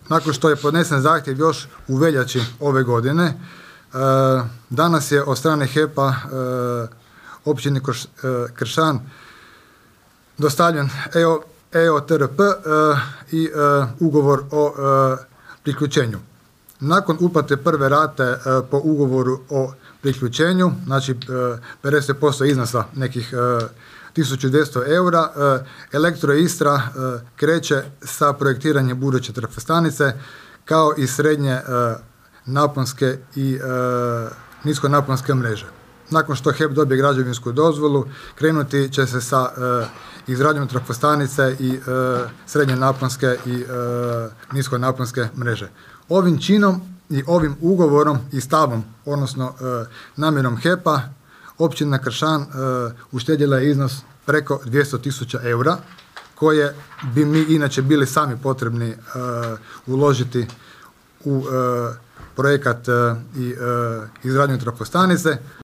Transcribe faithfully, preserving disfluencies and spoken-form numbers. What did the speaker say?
nakon što je podnesen zahtjev još u veljači ove godine, danas je od strane H E P-a općini Kršan dostavljen E O T R P i ugovor o priključenju. Nakon uplate prve rate po ugovoru o priključenju, znači pedeset posto iznosa nekih tisuću dvjesto eura, Elektroistra kreće sa projektiranjem buduće trafostanice kao i srednje naponske i niskonaponske mreže. Nakon što H E P dobije građevinsku dozvolu, krenuti će se sa izradnjom trafostanice i srednje naponske i niskonaponske mreže. Ovim činom i ovim ugovorom i stavom, odnosno namjerom H E P-a, općina Kršan uštedjela je iznos preko dvjesto tisuća eura, koje bi mi inače bili sami potrebni uložiti u projekat i izradnju trafostanice.